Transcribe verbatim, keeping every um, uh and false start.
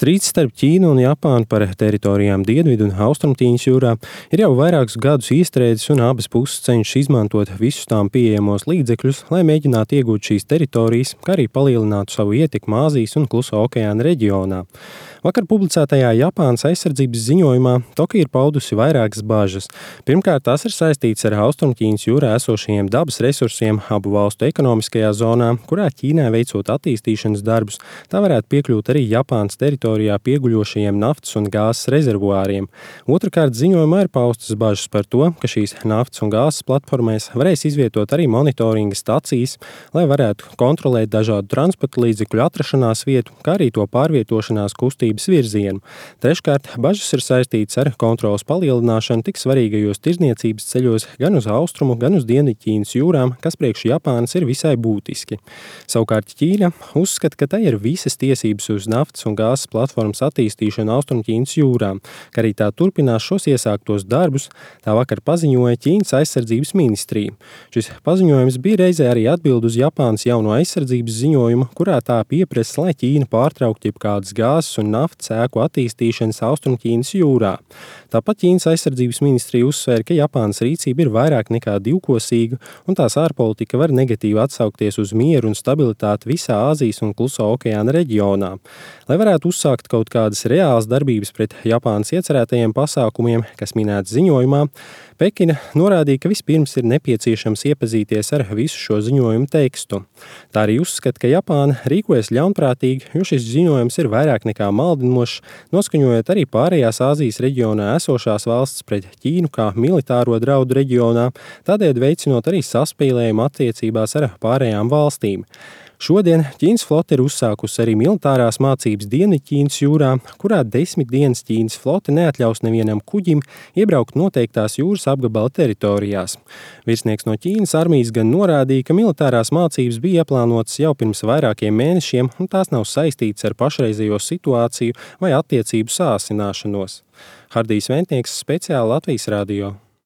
Strīds starp Ķīnu un Japānu par teritorijām Dienvidu un Austrumķīnas jūrā ir jau vairākus gadus iestrēdzis, un abas puses cenšas izmantot visus tām pieejamos līdzekļus, lai mēģinātu iegūt šīs teritorijas, kā arī palielinātu savu ietekmi Āzijas un Klusā okeāna reģionā. Vakar publicētajā Japānas aizsardzības ziņojumā Tokija ir paudusi vairākas bažas. Pirmkārt, tas ir saistīts ar Austrumķīnas jūrā esošajiem dabas resursiem abu valstu ekonomiskajā zonā, kurā Ķīnai veicot attīstīšanas darbus, tā varētu piekļūt arī Japānas teritorijā pieguļošajiem naftas un gāzes rezervuāriem. Otrakārt, ziņojumā ir paustas bažas par to, ka šīs naftas un gāzes platformēs varēs izvietot arī monitoringa stacijas, lai varētu kontrolēt dažādu transporta līdzekļu atrašanās vietu, kā arī to pārvietošanās kustību virzienu. Treškārt, bažas ir saistītas ar kontroles palielināšanu tik svarīgajos tirdzniecības ceļos gan uz austrumu, gan uz Dienvidķīnas jūrām, kas priekš Japānas ir visai būtiski. Savukārt Ķīna uzskata, ka tai ir visas tiesības uz naftas un gāzes platformas attīstīšanu Austrumķīnas jūrā, ka arī tā turpinās šos iesāktos darbus, tā vakar paziņoja Ķīnas aizsardzības ministrija. Šis paziņojums bija reizē arī atbild uz Japānas jauno aizsardzības ziņojumu, kurā tā pieprasa, lai Ķīna pārtraukt jebkādas gāzes un naftas ēku attīstīšanas Austrumķīnas jūrā. Tāpat Ķīnas aizsardzības ministrija uzsvēra, ka Japānas rīcība ir vairāk nekā divkosīga, un tās ārpolitika var negatīvi atsaukties uz mieru un stabilitāti visā Āzijas un Klusā okeāna reģionā. Lai varētu uzsākt kaut kādas reālas darbības pret Japānas iecerētajiem pasākumiem, kas minēts ziņojumā, Pekina norādīja, ka vispirms ir nepieciešams iepazīties ar visu šo ziņojumu tekstu. Tā arī uzskata, ka Japāna rīkojas ļaunprātīgi, jo šis ziņojums ir vairāk nekā maldinošs, noskaņojot arī pārējās Āzijas reģionā esošās valstis pret Ķīnu kā militāro draudu reģionā, tādēļ veicinot arī saspīlējumu attiecībās ar pārējām valstīm. Šodien Ķīnas flote ir uzsākusi arī militārās mācības Dienvidķīnas jūrā, kurā desmit dienas Ķīnas flote neatļaus nevienam kuģim iebraukt noteiktās jūras apgabala teritorijās. Virsnieks no Ķīnas armijas gan norādīja, ka militārās mācības bija ieplānotas jau pirms vairākiem mēnešiem, un tās nav saistītas ar pašreizējo situāciju vai attiecību sāsināšanos. Hardijs Ventnieks, speciāli Latvijas radio.